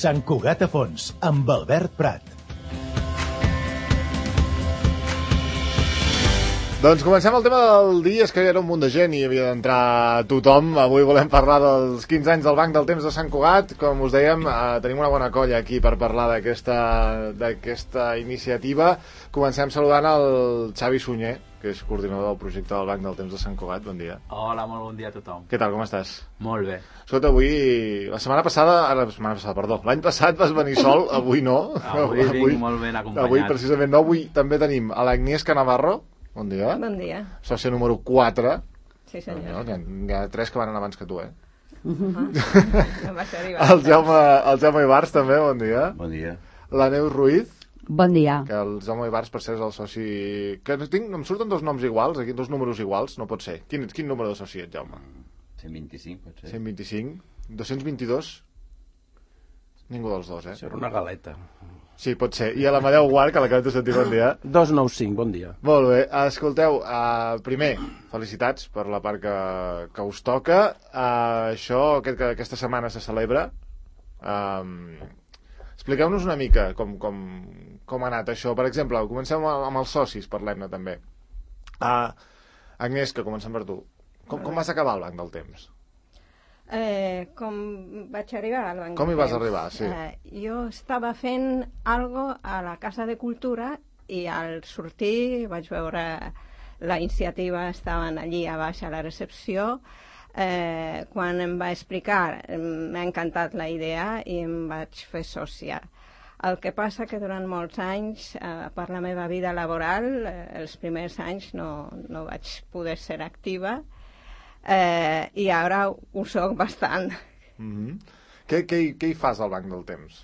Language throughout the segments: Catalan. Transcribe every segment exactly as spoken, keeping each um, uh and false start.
Sant Cugat a Fons, amb Albert Prat. Doncs comencem el tema del dia. És que hi era un munt de gent i havia d'entrar tothom. Avui volem parlar dels quinze anys del Banc del Temps de Sant Cugat. Com us dèiem, eh, tenim una bona colla aquí per parlar d'aquesta d'aquesta iniciativa. Comencem saludant el Xavi Sunyer, que és coordinador del projecte del Banc del Temps de Sant Cugat. Bon dia. Hola, molt bon dia a tothom. Què tal, com estàs? Molt bé. Escolta, avui... La setmana passada... La setmana passada, perdó. L'any passat vas venir sol, avui no. Avui, avui vinc molt ben acompanyat. Avui, precisament, no. Avui també tenim a l'Agnieszka Navarro. Bon dia. Bon dia. Sòcia número quatre. Sí, senyor. No, hi, ha, hi ha tres que van anar abans que tu, eh? Uh-huh. No va ser arribar. El Jaume, el Jaume Ibars, també, bon dia. Bon dia. La Neus Ruiz. Bon dia. Que el Jaume Ibars, per ser, és el soci... Que tinc, em surten dos noms iguals, aquí, dos números iguals, no pot ser. Quin, quin número de soci ets, Jaume? cent vint-i-cinc, pot ser. cent vint-i-cinc. dos-cents vint-i-dos? Ningú dels dos, eh? Serà una galeta. Sí, pot ser. I a l'Amadeu Guart, que l'acabem de sentir, bon dia. dos nou cinc, bon dia. Molt bé. Escolteu, uh, primer, felicitats per la part que, que us toca. Uh, això, aquest, que aquesta setmana se celebra. Um, expliqueu-nos una mica com, com, com ha anat això. Per exemple, comencem amb els socis, parlem-ne també. Uh, Agnès, que comencem per tu. Com, com vas acabar el Banc del Temps? Eh, com vaig arribar al Banc Com hi del vas Temps? arribar, sí. Eh, jo estava fent algo a la Casa de Cultura i al sortir vaig veure la iniciativa, estaven allí a baix a la recepció. Eh, quan em va explicar, m'ha encantat la idea i em vaig fer sòcia. El que passa que durant molts anys, eh, per la meva vida laboral, eh, els primers anys no, no vaig poder ser activa, eh, i ara ho soc bastant. Mm-hmm. Què, què, què hi fas al Banc del Temps?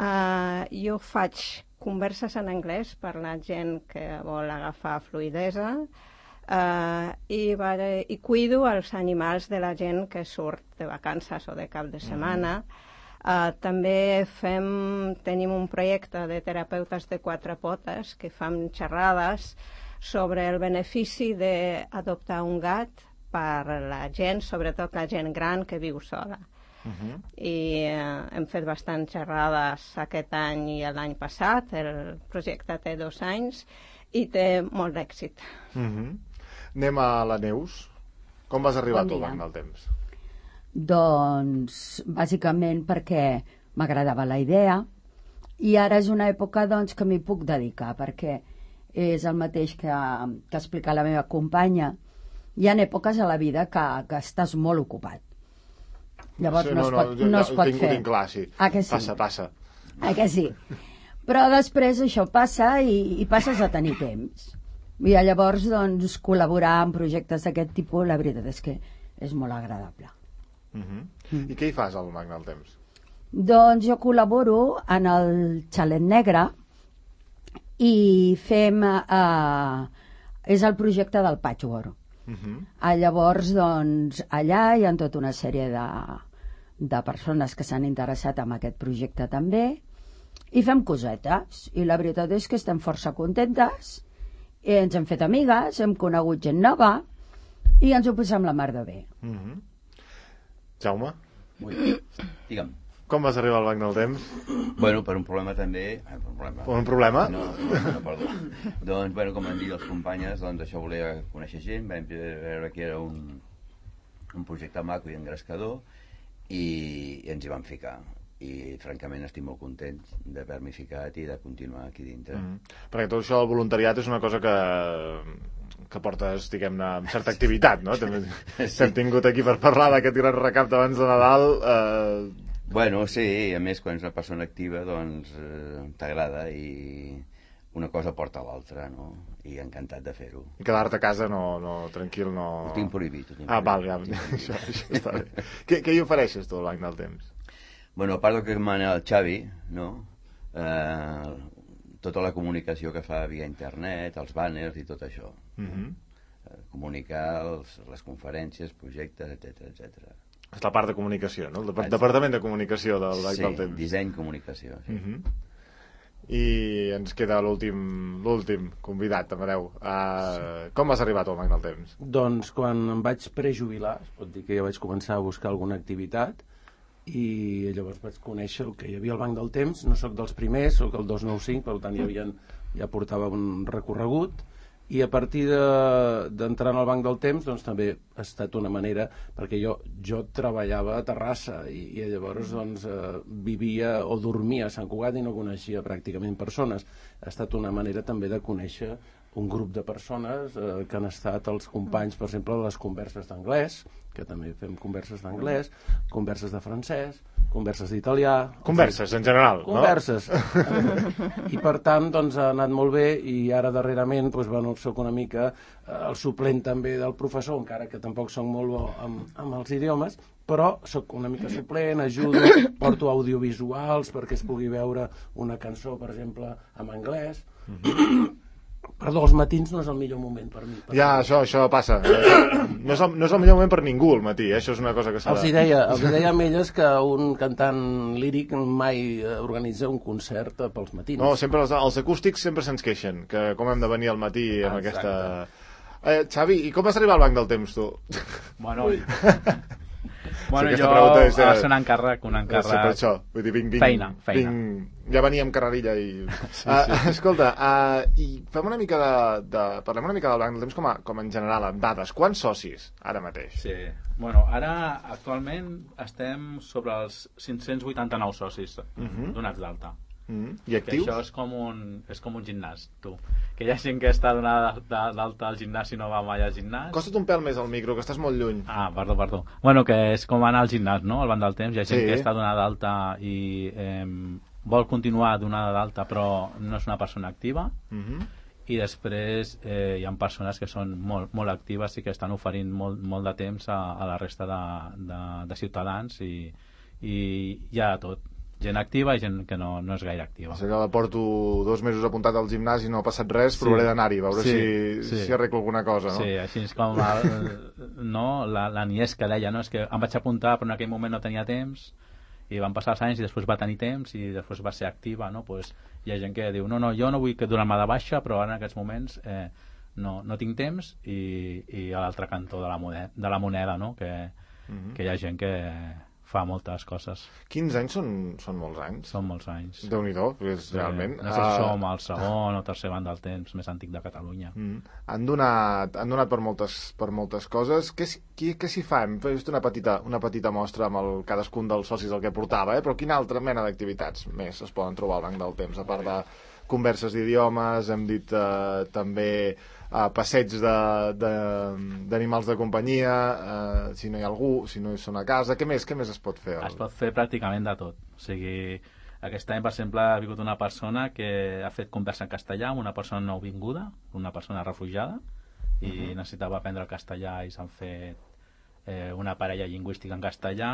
Uh, jo faig converses en anglès per la gent que vol agafar fluidesa, uh, i, va, i cuido els animals de la gent que surt de vacances o de cap de setmana. Mm. Uh, també fem, tenim un projecte de terapeutes de quatre potes que fan xerrades sobre el benefici d'adoptar un gat per la gent, sobretot la gent gran que viu sola. Uh-huh. I eh, hem fet bastant xerrades aquest any i l'any passat. El projecte té dos anys i té molt d'èxit. Uh-huh. Anem a la Neus. Com vas arribar Bon tu al dia. Banc del Temps? Doncs, bàsicament perquè m'agradava la idea i ara és una època doncs, que m'hi puc dedicar, perquè és el mateix que, que explica la meva companya. Hi ha èpoques a la vida que, que estàs molt ocupat. Llavors sí, no, no, es pot, no, no jo, es pot tinc, fer. Ho tinc clar, sí. Ah, que sí? Passa, passa. Ah, que sí? Però després això passa i, i passes a tenir temps. I llavors, doncs, col·laborar en projectes d'aquest tipus, la veritat és que és molt agradable. Uh-huh. Mm. I què hi fas al Banc del Temps? Doncs jo col·laboro en el Xalet Negre i fem... Eh, és el projecte del patchwork. Uh-huh. Ah, llavors, doncs, allà hi ha tota una sèrie de, de persones que s'han interessat en aquest projecte també i fem cosetes i la veritat és que estem força contentes i ens hem fet amigues, hem conegut gent nova i ens ho posem la mar de bé. Uh-huh. Jaume? Ui, digue'm. Com vas arribar al Banc del Temps? Bueno, per un problema també... Eh, per un problema? Per un problema? No, no, no, perdó. Doncs, bueno, com han dit les companyes, doncs això volia conèixer gent, vam veure que era un, un projecte maco i engrescador i, i ens hi vam ficar. I francament estic molt content d'haver-m'hi ficat i de continuar aquí dintre. Mm. Perquè tot això del voluntariat és una cosa que que portes, diguem-ne, amb certa activitat, no? També sí. Hem tingut aquí per parlar d'aquest gran recapte abans de Nadal. Eh... Bueno, sí, a més quan és una persona activa doncs eh, t'agrada i una cosa porta a l'altra, no? I encantat de fer-ho. I quedar-te a casa no, no, tranquil, no... Ho tinc prohibit. Ho tinc ah, prohibit, val, ja, això, això està bé. què, què hi ofereixes tu al Banc del Temps? Bueno, a part del que demana el Xavi, no? Eh, tota la comunicació que fa via internet, els banners i tot això. Uh-huh. eh, comunicar els, les conferències, projectes, etcètera, etcètera. És la part de comunicació, no? El Dep Departament de Comunicació del Banc sí, del Temps. Sí, disseny, comunicació. Sí. Uh-huh. I ens queda l'últim l'últim convidat, Amadeu. Uh, com has arribat al Banc del Temps? Doncs quan em vaig prejubilar, es pot dir que ja vaig començar a buscar alguna activitat, i llavors vaig conèixer el que hi havia al Banc del Temps. No sóc dels primers, sóc el dos cents i noranta cinc, per tant ja, havien, ja portava un recorregut, i a partir d'entrar de, al Banc del Temps doncs també ha estat una manera, perquè jo, jo treballava a Terrassa i, i llavors doncs, eh, vivia o dormia a Sant Cugat i no coneixia pràcticament persones. Ha estat una manera també de conèixer un grup de persones eh, que han estat els companys, per exemple, de les converses d'anglès, que també fem converses d'anglès, converses de francès, converses d'italià... Converses, en general, converses. No? Converses. I per tant, doncs, ha anat molt bé, i ara darrerament, doncs, bueno, soc una mica eh, el suplent també del professor, encara que tampoc soc molt bo amb, amb els idiomes, però sóc una mica suplent, ajudo, porto audiovisuals perquè es pugui veure una cançó, per exemple, en anglès. Mm-hmm. Perdó, els matins no és el millor moment per mi. Per ja, mi. això això passa. No és, el, no és el millor moment per ningú al matí, eh? Això és una cosa que s'ha de... Els hi deia, els hi deia a elles que un cantant líric mai organitza un concert pels matins. No, sempre els, els acústics sempre se'ns queixen, que com hem de venir al matí amb ah, aquesta... Eh, Xavi, i com vas arribar al Banc del Temps, tu? Bueno... Bueno, sí, jo és, va ser un encàrrec, un encàrrec... Sí, per això. Vull dir, vinc, vinc, feina, feina. Vinc, ja venia amb carrerilla i... Sí, uh, sí. Escolta, uh, i fem una mica de, de... Parlem una mica del Banc del Temps com, a, com en general, en dades. Quants socis, ara mateix? Sí, bueno, ara actualment estem sobre els cinc-cents vuitanta-nou socis uh-huh. donats d'alta. Mm. I actius? Que això és com un, és com un gimnàs, tu. Que hi ha gent que està donada d'alta al gimnàs i no va mai al gimnàs. Costa't un pèl més al micro, que estàs molt lluny. Ah, perdó, perdó. Bueno, que és com anar al gimnàs, no?, al Banc del Temps. Hi ha gent sí. que està donada d'alta i eh, vol continuar donada d'alta, però no és una persona activa. Mm-hmm. I després eh, hi ha persones que són molt, molt actives i que estan oferint molt, molt de temps a, a la resta de, de, de ciutadans, i, i hi ha tot. Gent activa i gent que no, no és gaire activa. O sigui que porto dos mesos apuntat al gimnàs i no ha passat res, sí. provaré d'anar-hi, a veure sí, si, sí. si arreglo alguna cosa, no? Sí, així és com el, no, la, la Nies que deia, no? És que em vaig apuntar però en aquell moment no tenia temps, i van passar els anys i després va tenir temps i després va ser activa, no? Pues hi ha gent que diu, no, no, jo no vull que donar-me de baixa, però ara en aquests moments eh, no, no tinc temps, i, i a l'altre cantó de la moneda, de la moneda, no? Que, mm-hmm. que hi ha gent que fa moltes coses. quinze anys són, són molts anys. Són molts anys. Déu-n'hi-do, és sí, realment... No sé si som el segon o tercer Banc del Temps més antic de Catalunya. Mm. Han donat, han donat per, moltes, per moltes coses. Què, què, què s'hi fa? Hem vist una petita, una petita mostra amb el, cadascun dels socis el que portava, eh? Però quina altra mena d'activitats més es poden trobar al Banc del Temps, a part de converses d'idiomes, hem dit eh, també uh, passeigs d'animals de, de, de companyia, uh, si no hi ha algú, si no hi són a casa, què més, què més es pot fer? Es pot fer pràcticament de tot. O sigui, aquest any, per exemple, ha vingut una persona que ha fet conversa en castellà amb una persona nouvinguda, una persona refugiada, i uh-huh. necessitava aprendre el castellà, i s'han fet eh, una parella lingüística en castellà,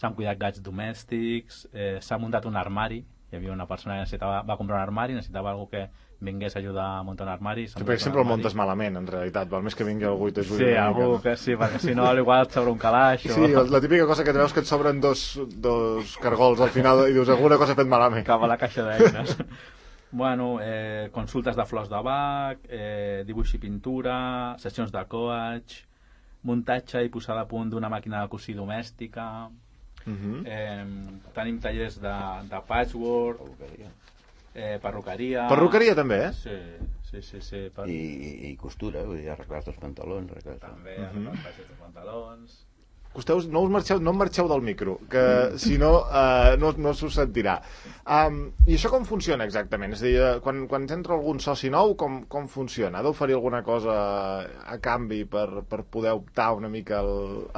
s'han cuidat gats domèstics, eh, s'ha muntat un armari. Hi havia una persona que necessitava, va comprar un armari, necessitava algú que vingués a ajudar a muntar un armari. Sí, perquè sempre el muntes malament, en realitat, val més que vingui algú i t'ajudi. Sí, algú que sí, perquè si no, igual et sobra un calaix. O... Sí, la típica cosa que et veus que et sobren dos, dos cargols al final i dius, alguna cosa he fet malament. Cap a la caixa d'eines. Bueno, eh, consultes de flors de bac, eh, dibuix i pintura, sessions de coach, muntatge i posada a punt d'una màquina de cosir domèstica... Uh-huh. Eh, tenim tallers de, de patchwork, perruqueria. Eh, perruqueria perruqueria també, eh? Sí, sí, sí, sí per... I, i, i costura, vull dir, arreglar els pantalons, arreglar... també arreglar uh-huh. els pantalons. Costeu, no us marxeu, no em marxeu del micro, que si no, uh, no, no s'ho sentirà. Um, I això com funciona exactament? És a dir, quan, quan entra algun soci nou, com, com funciona? Ha d'oferir alguna cosa a canvi per, per poder optar una mica el,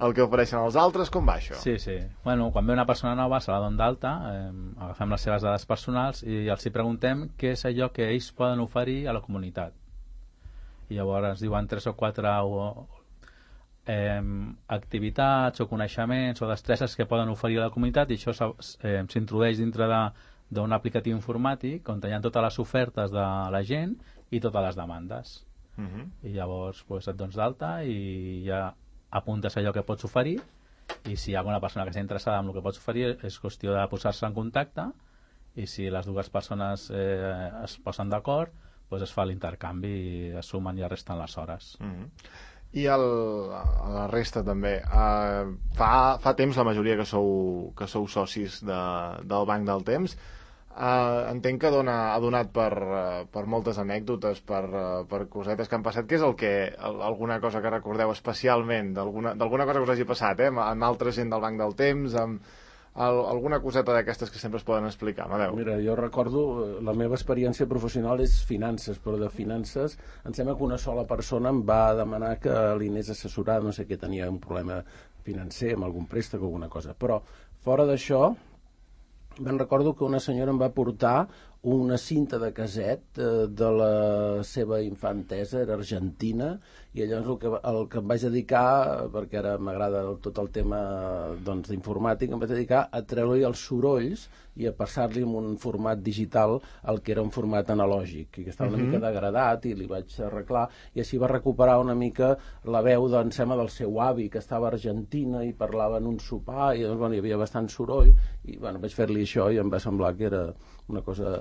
el que ofereixen els altres? Com va això? Sí, sí. Bueno, quan ve una persona nova, se la donem d'alta, eh, agafem les seves dades personals i els hi preguntem què és allò que ells poden oferir a la comunitat. I llavors ens diuen tres o quatre... O, Eh, activitats o coneixements o destreses que poden oferir a la comunitat, i això eh, s'introdueix dintre d'un aplicatiu informàtic on hi ha totes les ofertes de la gent i totes les demandes. Uh-huh. I llavors pues, et dones d'alta i ja apuntes allò que pots oferir, i si hi ha alguna persona que està interessada en el que pots oferir és qüestió de posar-se en contacte, i si les dues persones eh, es posen d'acord, pues es fa l'intercanvi i es sumen i es resten les hores. Uh-huh. I el, a la resta també. Uh, fa, fa temps la majoria que sou, que sou socis de, del Banc del Temps. Uh, entenc que dona, ha donat per, uh, per moltes anècdotes, per, uh, per cosetes que han passat. Què és el que, el, alguna cosa que recordeu especialment, d'alguna cosa que us hagi passat, eh? amb altra gent del Banc del Temps, amb el, alguna coseta d'aquestes que sempre es poden explicar? Amadeu. Mira, jo recordo, la meva experiència professional és finances, però de finances em sembla que una sola persona em va demanar que li anés a assessorar, no sé què, tenia un problema financer amb algun préstec o alguna cosa. Però fora d'això, ben recordo que una senyora em va portar una cinta de caset eh, de la seva infantesa, era argentina, i llavors el que, el que em vaig dedicar, perquè ara m'agrada tot el tema doncs, d'informàtic, em vaig dedicar a treure-li els sorolls i a passar-li en un format digital el que era un format analògic, i que estava una mm-hmm. mica degradat, i li vaig arreglar, i així va recuperar una mica la veu, doncs, sembla, del seu avi, que estava a Argentina i parlava en un sopar, i doncs, bueno, hi havia bastant soroll, i bueno, vaig fer-li això i em va semblar que era una cosa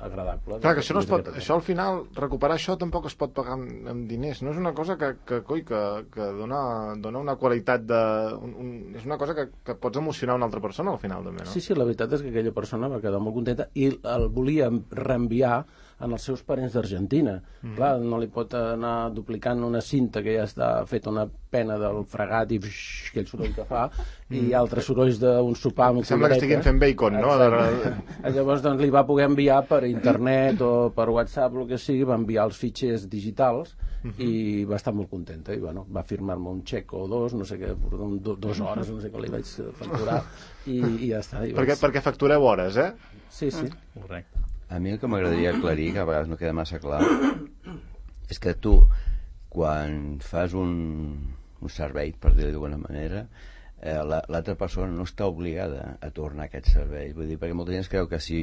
agradable. Clar, que això, no es pot, això al final, recuperar això tampoc es pot pagar amb, amb diners, no és una cosa que, que, coi, que, que dona, dona una qualitat de... Un, un, és una cosa que, que pots emocionar una altra persona al final també, no? Sí, sí, la veritat és que aquella persona va quedar molt contenta i el volia reenviar en els seus parents d'Argentina. Mm. Clar, no li pot anar duplicant una cinta que ja està feta una pena del fregat i bix, aquell soroll que fa, mm. i altres sorolls d'un sopar amb sembla que estiguin fent bacon, no? Llavors doncs, li va poder enviar per internet o per WhatsApp, el que sigui, va enviar els fitxers digitals mm-hmm. i va estar molt contenta i bueno, va firmar-me un xec o dos, no sé què, do, dos hores, no sé què li vaig facturar i, i ja està. I perquè, vaig... perquè factureu hores, eh? Sí, sí. Mm. Correcte. A mi el que m'agradaria aclarir, que a vegades no queda massa clar, és que tu, quan fas un, un servei, per dir-ho d'alguna manera, eh, l'altra persona no està obligada a tornar a aquest servei. Vull dir, perquè molta gent es creu que si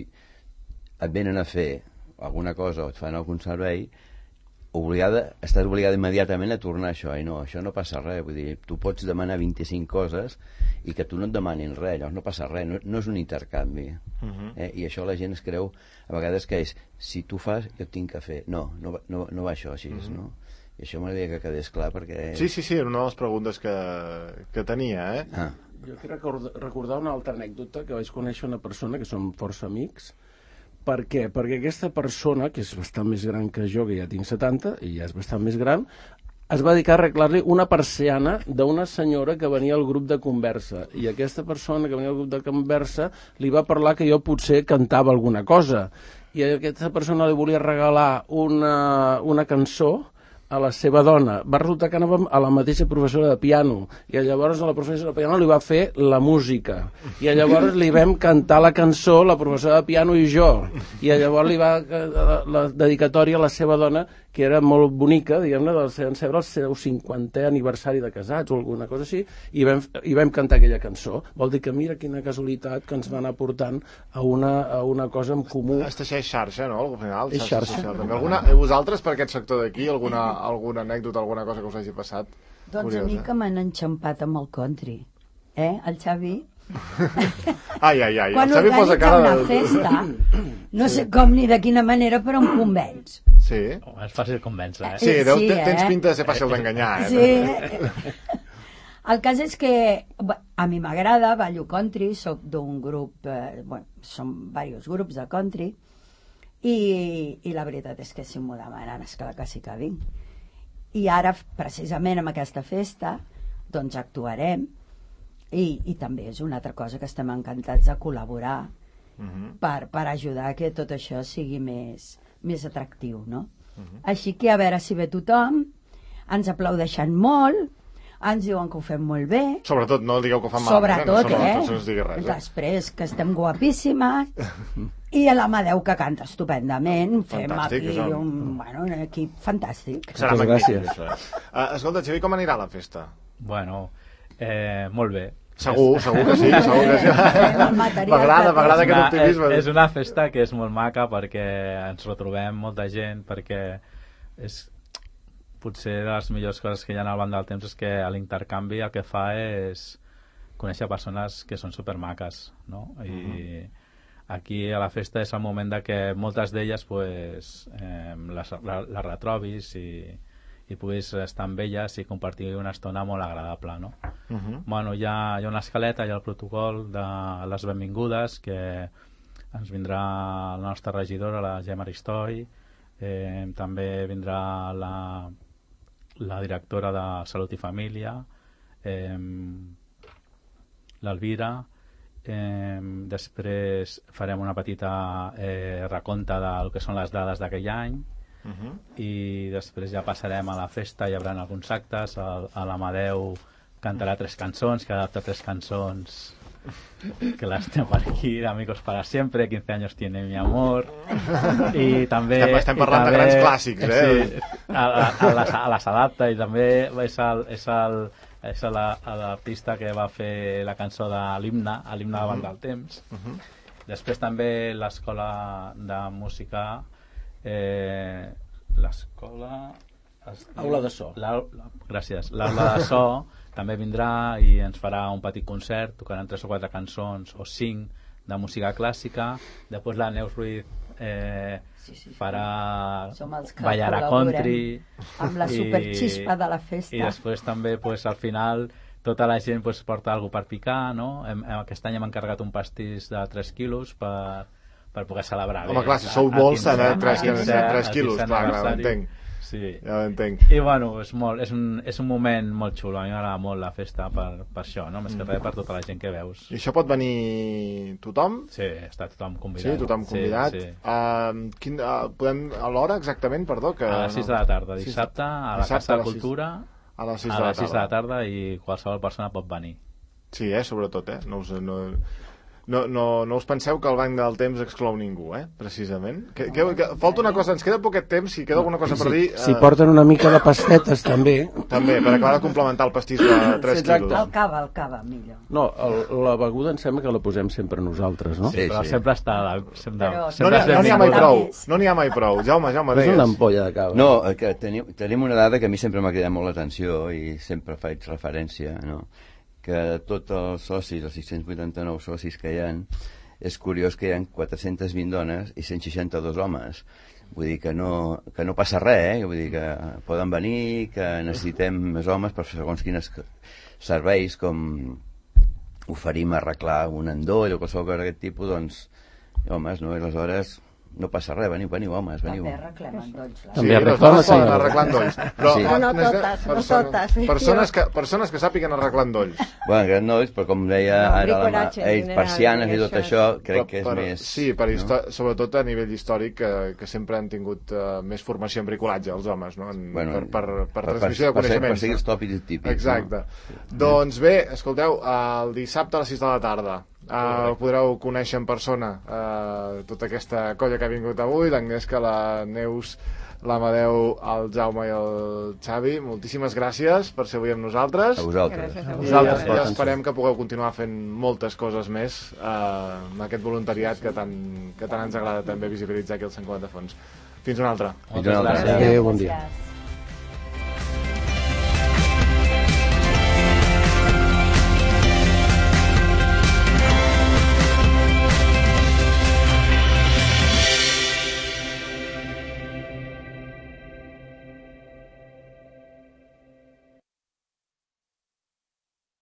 et venen a fer alguna cosa o et fan algun servei, obligada, estàs obligada immediatament a tornar a això, i no, això no passa res, vull dir, tu pots demanar vint-i-cinc coses i que tu no et demanin res, llavors no passa res, no, no és un intercanvi, uh-huh. eh? I això la gent es creu a vegades que és, si tu fas, jo tinc que fer, no, no, no, no va això així, uh-huh. no? I això m'agradaria que quedés clar perquè... Sí, sí, sí, era una de les preguntes que, que tenia, eh? Ah. Jo quiero recordar, recordar una altra anècdota, que vaig conèixer una persona que som força amics. Per què? Perquè aquesta persona, que és bastant més gran que jo, que ja tinc setanta, i ja és bastant més gran, es va dedicar a arreglar-li una persiana d'una senyora que venia al grup de conversa. I aquesta persona que venia al grup de conversa li va parlar que jo potser cantava alguna cosa. I aquesta persona li volia regalar una, una cançó a la seva dona. Va resultar que anàvem a la mateixa professora de piano i llavors la professora de piano li va fer la música i llavors li vam cantar la cançó, la professora de piano i jo, i llavors li va la, la dedicatòria a la seva dona, que era molt bonica, diguem-ne, del seu, el seu cinquantè aniversari de casats o alguna cosa així, i vam, i vam cantar aquella cançó. Vol dir que mira quina casualitat que ens va anar portant a una, a una cosa en comú. Es teixeix xarxa, no? Al final, és xarxa. xarxa. Alguna, vosaltres, per aquest sector d'aquí, alguna, alguna anècdota, alguna cosa que us hagi passat? Doncs curiosa. A mi que m'han enxampat amb el country. Eh, el Xavi? Ai, ai, ai. Quan el Xavi posa cara una de... festa, no sé com ni de quina manera, però em convenç. Sí. Oh, és fàcil convèncer, eh? Sí, deu, sí, eh? tens pinta de ser fàcil d'enganyar, eh? Sí. El cas és que a mi m'agrada, ballo country, soc d'un grup, eh, bueno, som diversos grups de country, i, i la veritat és que si m'ho demanen, esclar que sí que vinc. I ara, precisament amb aquesta festa, doncs actuarem, i, i també és una altra cosa que estem encantats de col·laborar uh-huh. per, per ajudar a que tot això sigui més, més atractiu, no? Uh-huh. Així que a veure si ve tothom, ens aplaudeixen molt, ens diuen que ho fem molt bé. Sobretot, no digueu que ho fan malament. Sobretot, eh? No, no, no, eh? Res, Després, que estem guapíssimes, i a l'Amadeu, que canta estupendament. Fem Fantàstic, aquí un... un, bueno, un equip fantàstic. Serà magnífic, això. Uh, escolta, Xavi, com anirà la festa? Bueno, eh, molt bé. Segur, segur que sí, segur que sí. M'agrada, m'agrada aquest optimisme. És, és una festa que és molt maca perquè ens retrobem molta gent, perquè és potser de les millors coses que hi ha al Banc del Temps és que l'intercanvi el que fa és conèixer persones que són supermaques, no? I uh-huh. aquí a la festa és el moment de que moltes d'elles pues, eh, les, les retrobis i, i puguis estar amb elles i compartir una estona molt agradable, no? Uh -huh. Bueno, hi ha, hi ha una escaleta, hi ha el protocol de les benvingudes, que ens vindrà la nostra regidora, la Gemma Aristoi, eh, també vindrà la, la directora de Salut i Família, eh, l'Elvira, eh, després farem una petita eh, recompte del que són les dades d'aquell any, uh -huh. i després ja passarem a la festa, hi haurà alguns actes, a, a l'Amadeu cantarà tres cançons, que adapta tres cançons que las tengo per aquí, de Amigos para Siempre, quince años tiene mi amor, i també estem, estem parlant també, de grans clàssics, eh? Sí, a, a, a, les, a les adapta, i també és el, és el és l'artista que va fer la cançó de l'himne, l'himne davant uh -huh. del temps. Uh -huh. Després també l'escola de música, eh, l'escola... Aula de so. La, la, gràcies. L'aula de so també vindrà i ens farà un petit concert, tocaran tres o quatre cançons o cinc de música clàssica. Després la Neus Ruiz eh, sí, sí, sí. farà ballarà country amb la superxispa de la festa, i després també pues, al final tota la gent pues, porta alguna per picar, no? Hem, aquest any hem encarregat un pastís de tres quilos per, per poder celebrar. Home, bé, clar, si sou molts, serà tres quilos, clar, clar, l'entenc. Sí. Ja l'entenc. I bueno, és, molt, és, un, és un moment molt xulo, a mi m'agrada molt la festa per, per això, no? Més que res per tota la gent que veus. I això pot venir tothom? Sí, està tothom convidat. Sí, tothom convidat. Sí, sí. Uh, quin, uh, podem, a l'hora exactament, perdó? Que, a les sis de la tarda, dissabte, a la Casa de Cultura, a les sis a les sis de la tarda, i qualsevol persona pot venir. Sí, eh, sobretot, eh? No us... No... No, no, no us penseu que el banc del temps exclou ningú, eh? Precisament. Que, que, que, falta una cosa, ens queda poquet temps, si queda alguna cosa per dir... Si, si porten una mica de pastetes, també. També, per acabar de complementar el pastís de tres sí, quilos. El cava, el cava, millor. No, el, la beguda em sembla que la posem sempre nosaltres, no? Sí, però sí. sempre està... Sempre, però, sempre no n'hi ha, no ha mai prou, no n'hi ha mai prou. Jaume, Jaume, deies. És una ampolla de cava. No, que tenim, tenim una dada que a mi sempre m'ha cridat molt l'atenció i sempre faig referència, no? Que tots els socis, els sis-cents vuitanta-nou socis que hi ha, és curiós que hi ha quatre-centes vint dones i cent seixanta-dos homes. Vull dir que no, que no passa res, eh? Vull dir que poden venir, que necessitem més homes per segons quines serveis, com oferim arreglar un endoll o qualsevol cosa d'aquest tipus, doncs, homes, no? I aleshores no passa res, veniu, veniu, homes, veniu. També arreglem endolls. Sí, també arreglen arreglar endolls. Però sí. no, no totes, no totes. Persones que, persones que sàpiguen arreglar endolls. Bueno, que endolls, però com deia no, ara la ells, persianes i tot això, crec que és per, més... Sí, per no? sobretot a nivell històric, que, que sempre han tingut uh, més formació en bricolatge, els homes, no? En, bueno, per, per, per, per per, transmissió de coneixements. Per seguir els tòpics típics. Exacte. No? Sí. Doncs bé, escolteu, el dissabte a les sis de la tarda Uh, podreu conèixer en persona uh, tota aquesta colla que ha vingut avui, l'Agnesca, la Neus, l'Amadeu, el Jaume i el Xavi. Moltíssimes gràcies per ser avui amb nosaltres. A vosaltres. A vosaltres. I, i esperem que pugueu continuar fent moltes coses més uh, amb aquest voluntariat que tant, que tant ens agrada també visibilitzar aquí al Sant Cugat de Fons. Fins una altra. Moltes gràcies. Adéu, bon dia.